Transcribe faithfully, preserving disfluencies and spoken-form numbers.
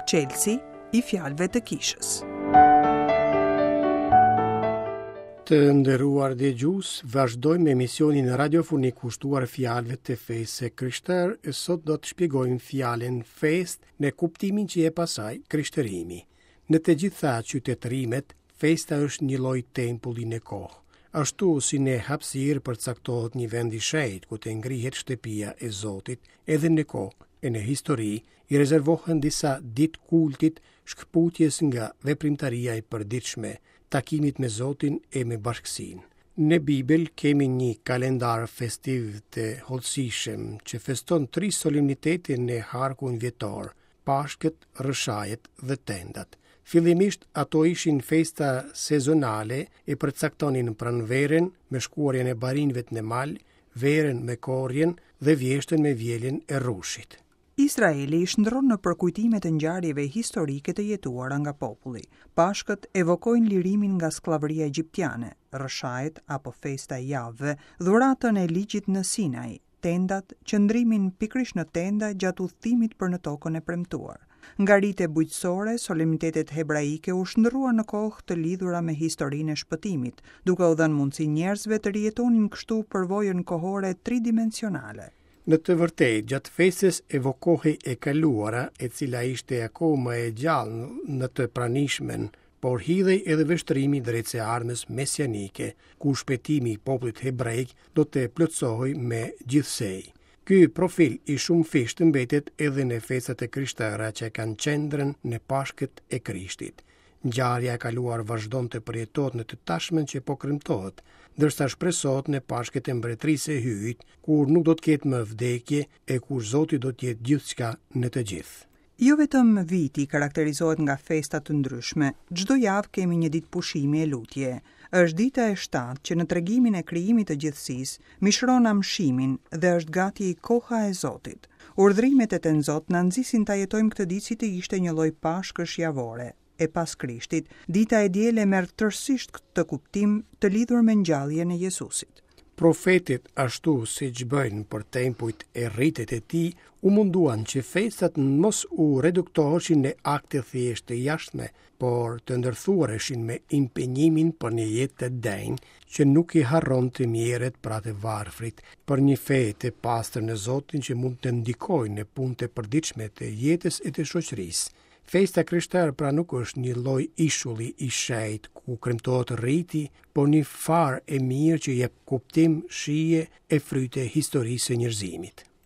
Çelësi i fjalëve të kishës. Të nderuar dëgjues, vazhdojmë me emisionin radiofonik kushtuar fjalëve të fesë së krishterë e sot do të shpjegojmë fjalën fest në kuptimin që jep asaj krishterimi. Në të gjitha qytetërimet, festa është një lloj tempulli në kohë. Ashtu si në hapësirë përcaktohet një vend i shenjtë ku të ngrihet shtëpia e Zotit, edhe në kohë e në histori i rezervohen disa ditë kultit, shkëputjes nga veprimtaria e përditshme, takimit me Zotin e me bashkësinë. Në Bibël kemi një kalendar festiv të hollësishëm që feston tri solemnitete në harkun vjetor, Pashkët, Rrëshajet dhe Tendat. Fillimisht ato ishin festa sezonale e përcaktonin pranverën me shkuarjen e barinjve në mal, verën me korrjen dhe vjeshtën me vjeljen e rrushit. Izraeli i shndërron në përkujtime të ngjarjeve historike të jetuara nga populli. Pashkët evokojnë lirimin nga skllavëria egjiptiane, rrëshajet apo festa e javëve, dhuratën e ligjit në Sinai, tendat, qëndrimin pikërisht në tenda gjatë udhëtimit për në tokën e premtuar. Nga rite bujqësore, solemnitetet hebraike u shndërruan në kohë të lidhura me historinë e shpëtimit, duke u dhënë mundësi njerëzve të rijetonin kështu përvojën kohore tridimensionale. Në të vërtetë, gjatë festës evokohej e kaluara, e cila ishte akoma e gjallë në të pranishmen, por hidhej edhe vështrimi drejt së ardhmes mesianike, ku shpëtimi i popullit hebraik do të plotësohej me gjithsej. Ky profil i shumëfishtë mbetet edhe në festat e krishtera që kanë qendrën në Pashkët e Krishtit. Ngjarja e kaluar vazhdon të përjetohet në të tashmen që po kremtohet, ndërsa shpresohet në Pashkët e Mbretërisë së Hyjit, kur nuk do të ketë më vdekje e kur Zoti do të jetë gjithçka në të gjithë. Jo vetëm viti karakterizohet nga festa të ndryshme, çdo javë kemi një ditë pushimi e lutje. Është dita e shtatë që në tregimin e krijimit të gjithësisë mishron amshimin dhe është gati koha e Zotit. Urdhrimet e Tenzot na nxisin ta jetojmë këtë ditë si të ishte një lloj pashkësh javore. E pas Krishtit, dita e diel e merr tërësisht këtë kuptim të lidhur me ngjalljen e Jezusit. Profetit, ashtu siç bëjnë për tempujt e ritet e tij, u munduan që festat mos u reduktoheshin në akte thjesht të jashtme, por të ndërthureshin me impenjimin për një jetë të denjë që nuk i harron të mjerët pra të varfrit, për një fe të pastër në Zotin që mund të ndikojë në punët e përditshme të jetës e të shoqërisë. Festa krishterë pra nuk është një lloj ishulli i shenjtë ku kremtohet riti, por një farë e mirë që jep kuptim, shije e fryte historisë së njerëzimit.